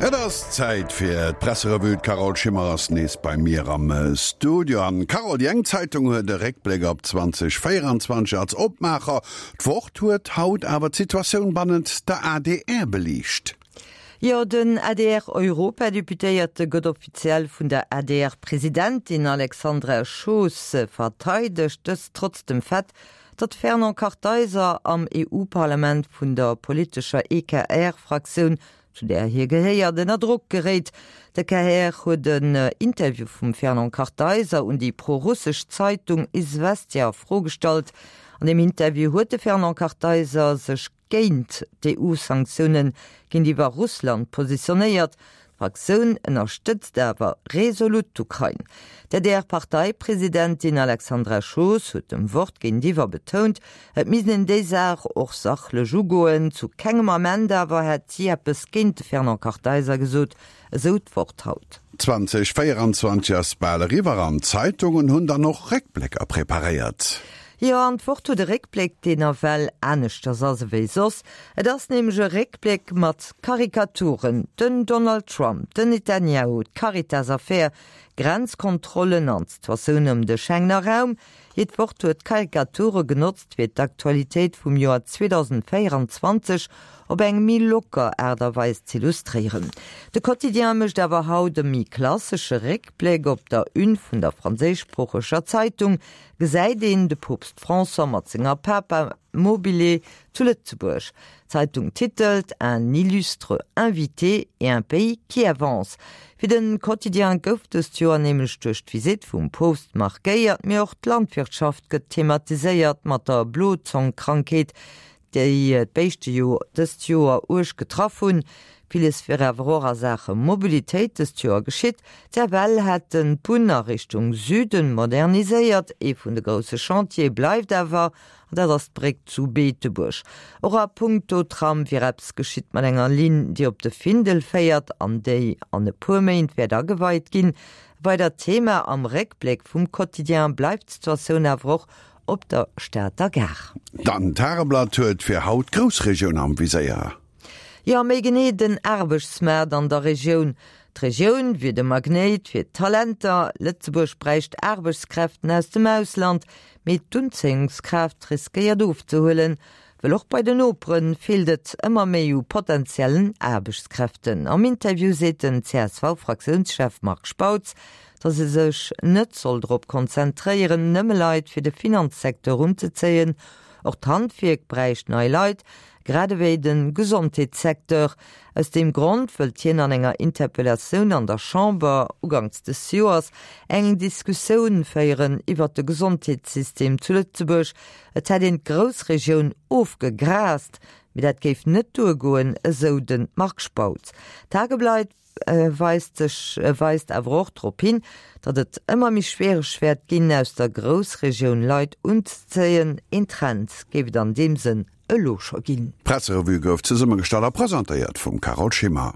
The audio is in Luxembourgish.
Et ass Zäit fir d'Presserevue. D'Carole Schimmer ass nees bei mir am Studio. An Carole, déi eng Zeitung huet e Réckbléck op 2024 als Opmaacher. D'Wort huet haut awer d'Situatioun bannent der adr beliicht. Jo, den ADR-Europadeputéierte gëtt offiziell vun der ADR-Presidentin Alexandra Schoos verteidegt, dëst trotz dem Fait, datt Fernand Kartheiser am EU-Parlament vun der politescher EKR-Fraktioun, zu där hie gehéiert, ënner Drock geréit. De KR huet en Interview vum Fernand Kartheiser un déi prorussesch Zeitung Izvestia a Fro gestallt. An deem Interview huet de Fernand Kartheiser sech géint d'EU-Sanktioune géintiwwer Russland positionéiert. D'Fraktioun ënnerstëtzt awer resolut d'Ukrain. D'ADR-Parteipresidentin Alexandra Schoos huet dem Wort géintiwwer betount, et misst een déi Saach och sachlech ugoen. Zu kengem Ament awer hätt si eppes géint de Fernand Kartheiser gesot, esou d'Wort haut. 2024 ass bal eriwwer an d'Zeitungen hunn dann och Réckblécker preparéiert. Jo, an d'Wort huet e Réckbléck, deen nawell aneschters ass ewéi soss. Et ass nämlech e Réckbléck mat Karikaturen, den Donald Trump, den Netanyahu, d'Caritas-Affär, Grenzkontrollen an d'Situatioun ëm de Schengener Raum. Hiert Wort huet Karikature genotzt, fir d'Aktualitéit vum Joer 2024 op eng méi locker Aart a Weis z'illustréieren. De Quotidien mécht awer haut e méi klassesche Réckbléck. Op der Une vun der franséischsproocheger Zeitung gesäit een de Poopst François mat senger Papa Mobile zu Lëtzebuerg. D'Zeitung titelt Un illustre invité et un pays qui avance. Fir de Quotidien gouf dëst Joer nämlech duerch d'Visitt vum Poopst markéiert, mee och d'Landwirtschaft gëtt thematiséiert mat der Blozongkrankheet, déi d'Béischte jo dëst Joer uerg getraff hunn. Villes wier awer och a Saache Mobilitéit dëst Joer geschitt. D'FL hätt den d'Bunn a Richtung Süden moderniséiert. Ee vun de grousse Chantiere bleift awer, An dat ass d'Bréck zu Beetebuerg. Och a punkto Tram wier eppes geschitt mat enger Linn, déi op de Findel féiert an déi an e puer Méint wäert ageweit ginn. E weidert Thema am Réckbléck vum Quotidien bleift d'Situatioun awer och op der Stater Gare. Dann, D'Tageblatt huet fir haut d'Groussregioun am Viséier. Jo, méi genee den Aarbechtsmaart an der Regioun. D'Regioun wier de Magnéit fir d'Talenter. Lëtzebuerg bräicht Aarbechtskräften aus dem Ausland, mee d'Unzéiungskraaft riskéiert ofzehuelen, well och bei den Nopere feelt et ëmmer méi u potentiellen Aarbechtskräften. Am Interview seet den CSV-Fraktiounschef Marc Spautz, datt ee sech net soll drop konzentréieren, nëmme Leit fir de Finanzsecteur unzezéien. Och d'Handwierk bräicht nei Leit, grad ewéi de Gesondheetssecteur. Aus deem Grond wëllt hien an enger Interpellatioun an der Chamber uganks des Joers eng Diskussioun féieren iwwert de Gesondheetssystem zu Lëtzebuerg. Et hätt een d'Groussregioun ofgegraast, mee dat géif net duergoen, esou de Marc Spautz. D'Tageblatt weist sech weist awer och drop hin, datt et ëmmer méi schwiereg wäert ginn, aus der Groussregioun Leit unzezéien. Een Trend géif et an deem Sënn elo scho ginn. D'Presserevue gouf zesummegestallt a presentéiert vum Carole Schimmer.